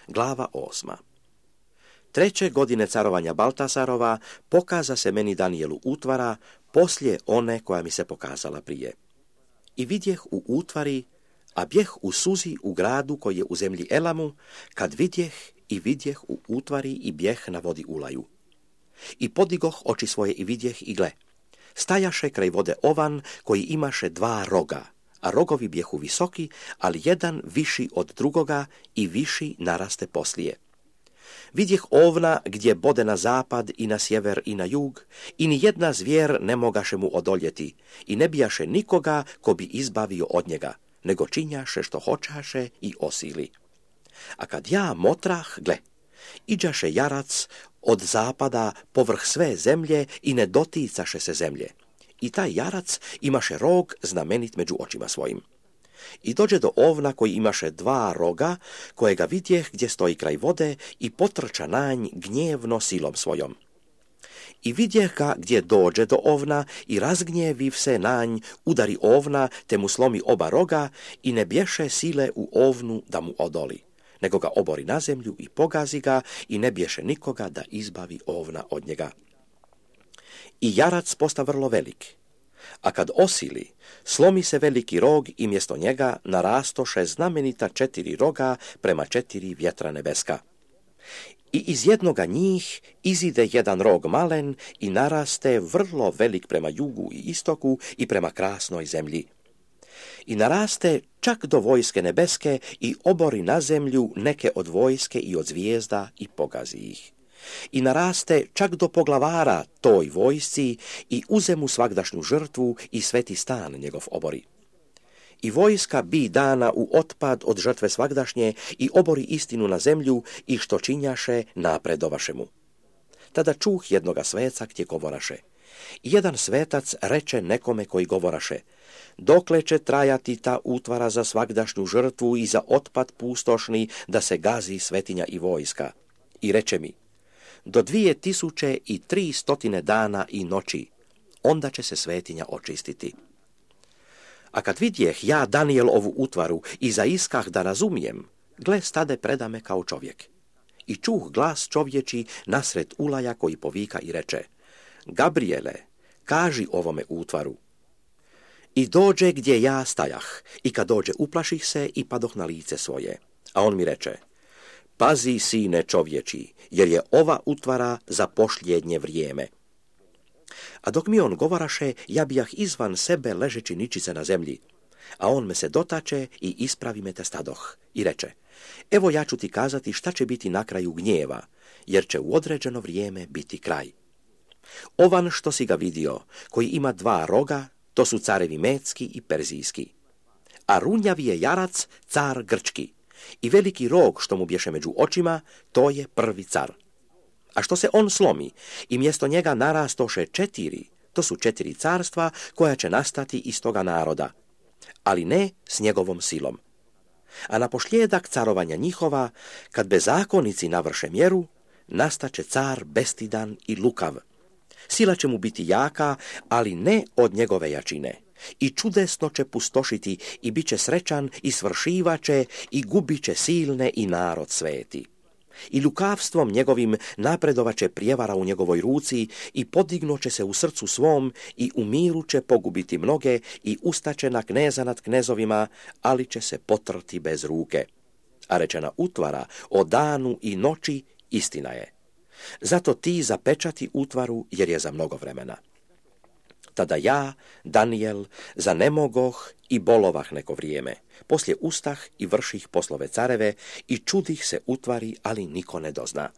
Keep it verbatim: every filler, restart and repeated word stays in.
Glava osma. Treće godine carovanja Baltasarova pokaza se meni Danijelu utvara poslije one koja mi se pokazala prije. I vidjeh u utvari, a bjeh u suzi u gradu koji je u zemlji Elamu, kad vidjeh i vidjeh u utvari i bjeh na vodi Ulaju. I podigoh oči svoje i vidjeh i gle, stajaše kraj vode ovan koji imaše dva roga, a rogovi bjehu visoki, ali jedan viši od drugoga i viši naraste poslije. Vidjeh ovna gdje bode na zapad i na sjever i na jug, i ni jedna zvijer ne mogaše mu odoljeti, i ne bijaše nikoga ko bi izbavio od njega, nego činjaše što hoćaše i osili. A kad ja motrah, gle, iđaše jarac od zapada povrh sve zemlje i ne doticaše se zemlje. I taj jarac imaše rog znamenit među očima svojim. I dođe do ovna koji imaše dva roga, kojega vidjeh gdje stoji kraj vode i potrča na nj gnjevno silom svojom. I vidjeh ga gdje dođe do ovna i razgnjeviv se na nj, udari ovna te mu slomi oba roga i ne bješe sile u ovnu da mu odoli, nego ga obori na zemlju i pogazi ga i ne bješe nikoga da izbavi ovna od njega. I jarac posta vrlo velik, a kad osili, slomi se veliki rog i mjesto njega narastoše znamenita četiri roga prema četiri vjetra nebeska. I iz jednoga njih izide jedan rog malen i naraste vrlo velik prema jugu i istoku i prema krasnoj zemlji. I naraste čak do vojske nebeske i obori na zemlju neke od vojske i od zvijezda i pogazi ih. I naraste čak do poglavara toj vojsci i uze mu svagdašnju žrtvu i sveti stan njegov obori. I vojska bi dana u otpad od žrtve svagdašnje i obori istinu na zemlju i što činjaše napredovaše mu. Tada čuh jednoga sveca gdje govoraše. I jedan svetac reče nekome koji govoraše: dokle će trajati ta utvara za svagdašnju žrtvu i za otpad pustošni da se gazi svetinja i vojska? I reče mi: do dvije tisuće i tri stotine dana i noći, onda će se svetinja očistiti. A kad vidjeh ja, Danijel, ovu utvaru i zaiskah da razumijem, gle, stade predame kao čovjek. I čuh glas čovječi nasred Ulaja koji povika i reče: Gabriele, kaži ovome utvaru. I dođe gdje ja stajah, i kad dođe uplaših se i padoh na lice svoje. A on mi reče: pazi, sine čovječi, jer je ova utvara za pošljednje vrijeme. A dok mi on govoraše, ja bijah izvan sebe ležeći ničice na zemlji. A on me se dotače i ispravi me te stadoh. I reče: evo ja ću ti kazati šta će biti na kraju gnjeva, jer će u određeno vrijeme biti kraj. Ovan što si ga vidio, koji ima dva roga, to su carevi Medski i Perzijski. A runjavi je jarac, car Grčki. I veliki rog što mu bješe među očima, to je prvi car. A što se on slomi i mjesto njega narastoše četiri, to su četiri carstva koja će nastati iz toga naroda, ali ne s njegovom silom. A na pošljedak carovanja njihova, kad bezakonici navrše mjeru, nastaće car bestidan i lukav. Sila će mu biti jaka, ali ne od njegove jačine. I čudesno će pustošiti i bit će srećan i svršivaće i gubit će silne i narod sveti. I lukavstvom njegovim napredovaće prijevara u njegovoj ruci i podignuće se u srcu svom i u miru će pogubiti mnoge i ustaće na kneza nad knezovima, ali će se potrti bez ruke. A rečena utvara o danu i noći istina je. Zato ti zapečati utvaru jer je za mnogo vremena. Tada ja, Danijel, zanemogoh i bolovah neko vrijeme. Poslije ustah i vrših poslove careve i čudih se utvari, ali niko ne dozna.